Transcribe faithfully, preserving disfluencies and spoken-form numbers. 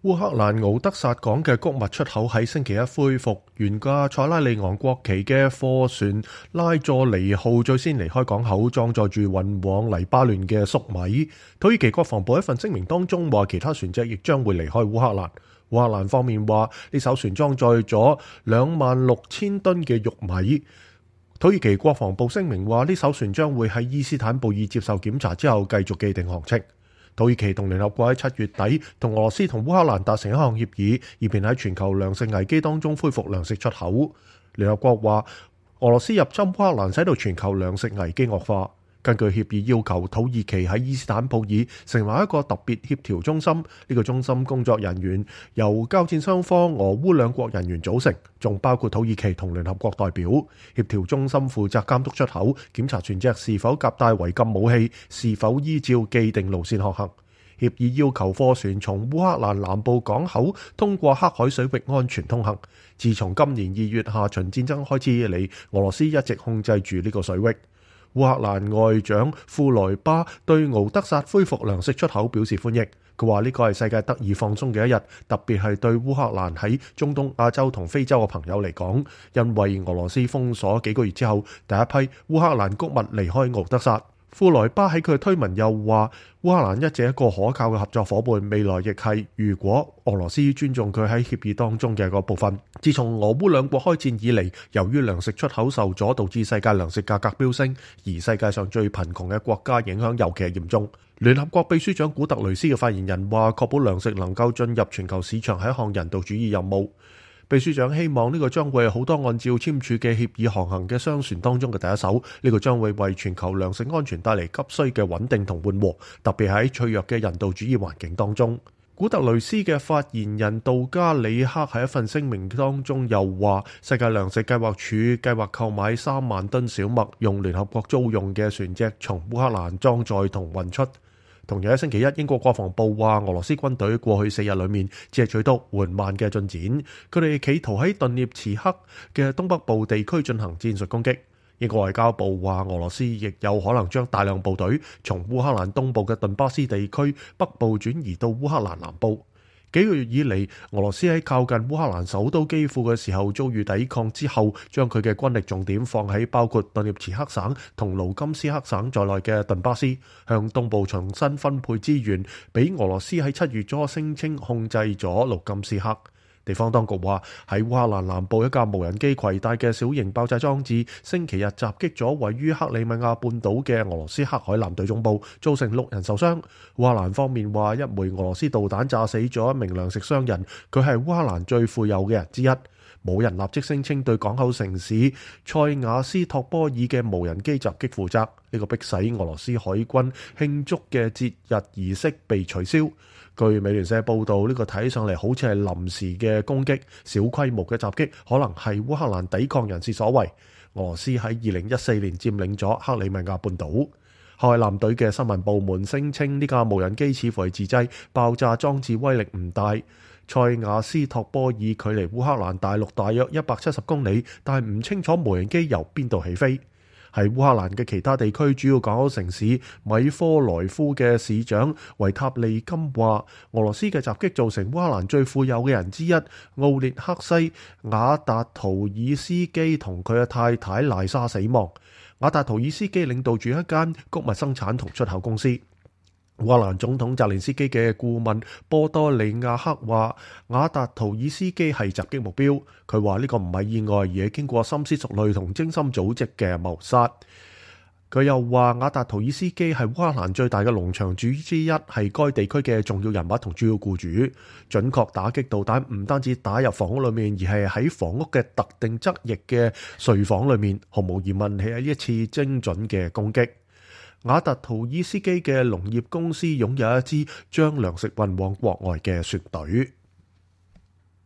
烏克蘭敖德薩港嘅穀物出口喺星期一恢復，沿架塞拉利昂國旗嘅貨船拉佐尼號最先離開港口，裝載住運往黎巴嫩嘅粟米。土耳其國防部一份聲明當中話，其他船隻亦將會離開烏克蘭。烏克蘭方面話，呢艘船裝載咗兩萬六千噸嘅玉米。土耳其國防部聲明話，呢艘船將會喺伊斯坦布爾接受檢查之後繼續既定航程。土耳其同聯合國喺七月底同俄羅斯同烏克蘭達成一項協議，以便喺全球糧食危機當中恢復糧食出口。聯合國話，俄羅斯入侵烏克蘭使到全球糧食危機惡化。根據協議要求，土耳其喺伊斯坦布爾成為一個特別協調中心。呢個中心工作人員由交戰雙方俄烏兩國人員組成，仲包括土耳其同聯合國代表。協調中心負責監督出口，檢查船隻是否夾帶違禁武器，是否依照既定路線航行。協議要求貨船從烏克蘭南部港口通過黑海水域安全通行。自從今年二月下旬戰爭開始以嚟，俄羅斯一直控制住呢個水域。烏克蘭外長庫萊巴對敖德薩恢復糧食出口表示歡迎。佢話呢個係世界得以放鬆嘅一日，特別係對烏克蘭喺中東、亞洲同非洲嘅朋友嚟講，因為俄羅斯封鎖幾個月之後，第一批烏克蘭穀物離開敖德薩。庫萊巴喺佢推文又話，烏克蘭一直一個可靠嘅合作夥伴，未來亦係，如果俄羅斯尊重佢喺協議當中嘅個部分。自從俄烏兩國開戰以嚟，由於糧食出口受阻，導致世界糧食價格飆升，而世界上最貧窮嘅國家影響尤其係嚴重。聯合國秘書長古特雷斯嘅發言人話，確保糧食能夠進入全球市場係一項人道主義任務。秘書長希望呢個將會係好多按照簽署嘅協議航行嘅商船當中嘅第一艘，呢個將會為全球糧食安全帶嚟急需嘅穩定同緩和，特別喺脆弱嘅人道主義環境當中。古特雷斯嘅發言人杜加里克喺一份聲明當中又話，世界糧食計劃署計劃購買三萬噸小麥，用聯合國租用嘅船隻從烏克蘭裝載同運出。同樣喺星期一，英國國防部話，俄羅斯軍隊過去四日裏面只係取得緩慢嘅進展，佢哋企圖喺頓涅茨克嘅東北部地區進行戰術攻擊。英國外交部話，俄羅斯亦有可能將大量部隊從烏克蘭東部嘅頓巴斯地區北部轉移到烏克蘭南部。幾個月以嚟，俄羅斯喺靠近烏克蘭首都基輔嘅時候遭遇抵抗之後，將佢嘅軍力重點放喺包括頓涅茨克省同盧甘斯克省在內嘅頓巴斯，向東部重新分配資源，俾俄羅斯喺七月初聲稱控制咗盧甘斯克。地方當局話，喺烏克蘭南部一架無人機攜帶嘅小型爆炸裝置，星期日襲擊咗位於克里米亞半島嘅俄羅斯黑海艦隊總部，造成六人受傷。烏克蘭方面話，一枚俄羅斯導彈炸死咗一名糧食商人，佢係烏克蘭最富有嘅人之一。冇人立即聲稱對港口城市塞瓦斯托波爾嘅無人機襲擊負責。呢個迫使俄羅斯海軍慶祝嘅節日儀式被取消。據美聯社報道，呢個睇上嚟好似係臨時嘅攻擊，小規模嘅襲擊可能係烏克蘭抵抗人士所為。俄羅斯喺二零一四年佔領咗克里米亞半島。海艦隊嘅新聞部門聲稱呢架無人機似乎係自製，爆炸裝置威力唔大。塞瓦斯托波爾距離烏克蘭大陸大約一百七十公里，但係唔清楚無人機由邊度起飛。喺烏克蘭嘅其他地區主要港口城市米科萊夫嘅市長維塔利金話，俄羅斯嘅襲擊造成烏克蘭最富有嘅人之一奧列克西瓦達圖爾斯基同佢嘅太太賴莎死亡。瓦達圖爾斯基領導住一間穀物生產同出口公司。烏克蘭總統澤連斯基嘅顧問波多利亞克話，瓦達圖爾斯基係襲擊目標。佢話呢個唔係意外，而係經過深思熟慮同精心組織嘅謀殺。佢又話，瓦達圖爾斯基係烏克蘭最大嘅農場主之一，係該地區嘅重要人物同主要僱主。準確打擊導彈唔單止打入房屋裏面，而係喺房屋嘅特定側翼嘅睡房裏面，毫無疑問係一次精準嘅攻擊。瓦達圖爾斯基嘅農業公司擁有一支將糧食運往國外嘅船隊。